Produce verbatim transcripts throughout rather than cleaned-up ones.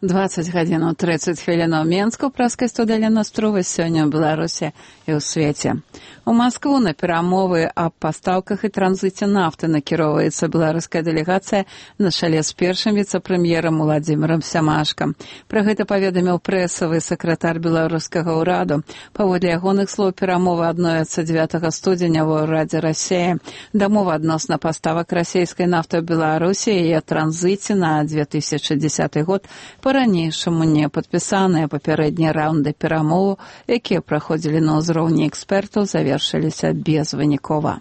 двадцать гадзін тридцать хвілін у Менску, праскай студыя Настрова сёння ў Беларусі і ў свеце. У Маскву на перамовы аб пастаўках і транзіце нафты накіроўваецца беларуская дэлегацыя на чале з першым віцэ-прэм'ерам Уладзімірам Сямашкам. Пра гэта паведаміў прэсавы сакратар беларускага ўраду. Паводле ягоных слоў, перамовы адновяцца дзевятага студзеня ва ўрадзе Расіі. Дамова адносна паставак расійскай нафты ў Беларусі і яе транзіце на две тысячы дзесяты год па-ранейшаму не падпісаныя. Папярэднія раўнды перамоваў, якія праходзілі на ўзроўні экспертаў, завершыліся безвынікова.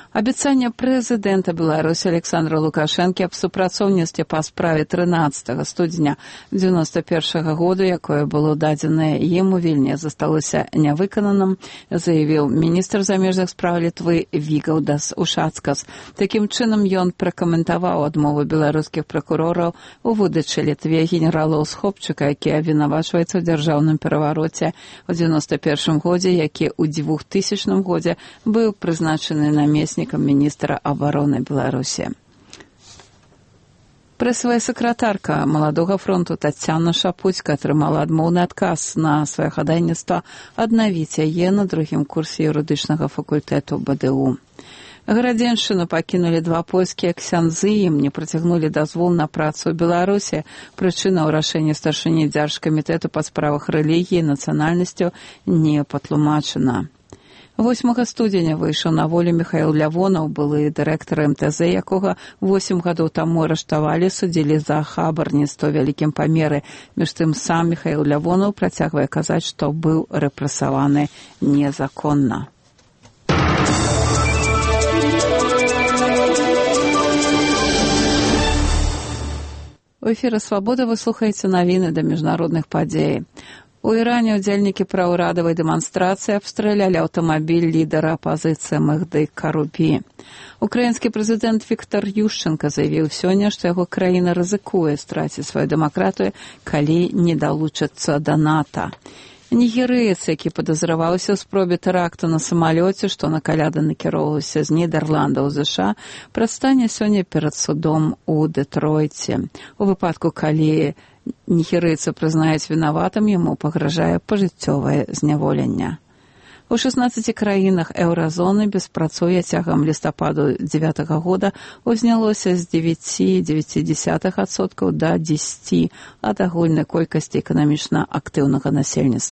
Абяцанне прэзідэнта Беларусі Александра Лукашэнкі аб супрацоўніцтве па справе трынаццатага студзеня дзевяноста першага году, якое было дадзенае ім у Вільні, засталося нявыкананым, заявіў міністр замежных спраў Літвы Вігаўдас Ушацкас. Такім чынам ён пракаментаваў адмову беларускіх пракурораў у выдачы Літве генерала Усхопчыка, які абвінавачваецца ў дзяржаўным перавароце ў дзевяноста першым годзе, які ў двухтысячным годзе быў прызначаны намеснікам міністра абароны Беларусі. Прэсавая сакратарка маладога фронту Таццяна Шапуцька атрымала адмоўны адказ на сваё хадайніцтва аднавіць яе на другім курсе юрыдычнага факультэту бэ дэ у. Гарадзеншчыну пакінулі два польскія ксяндзы, ім не працягнулі дазвол на працу ў Беларусі. Прычына ў рашэнні старшыні дзяржкамітэту па справах рэлігіі і нацыянальнасцю не патлумачана. восьмага студзеня выйшаў на волю Міхаіл Лявонаў, былы дырэктар эм тэ зэ, якога восем гадоў таму арыштавалі, судзілі за хабарніцтва ў вялікім памеры. Між тым сам Міхаіл Лявонаў працягвае казаць, што быў рэпрэсаваны незаконна. У эфіры «Свабода» вы слухаеце навіны да міжнародных падзей. У Іране ўдзельнікі праўрадавай дэманстрацыі абстралялі аўтамабіль лідара апазіцыі Мехді Карубі. Украінскі прэзідэнт Віктор Ющэнка заявіў сёння, што яго краіна рызыкуе страціць сваю дэмакратыю, калі не далучыцца да НАТО. Нігерыец, які падазраваўся ў спробе тэракту на самалёце, што на каляды накіроўваўся з Нідерландаў з ЗША, прадстане сёння перад судом у Дэтройце. У выпадку, калі нігерыйца прызнаюць вінаватым, яму пагражае пажыццёвае зняволенне. У шаснаццаці краінах еўразоны беспрацоўе цягам лістападу дзевятага года узнялося з дзевяць цалых дзевяць дзесятых адсотка да дзесяць ад агульнай колькасці эканамічна актыўнага насельніцтва.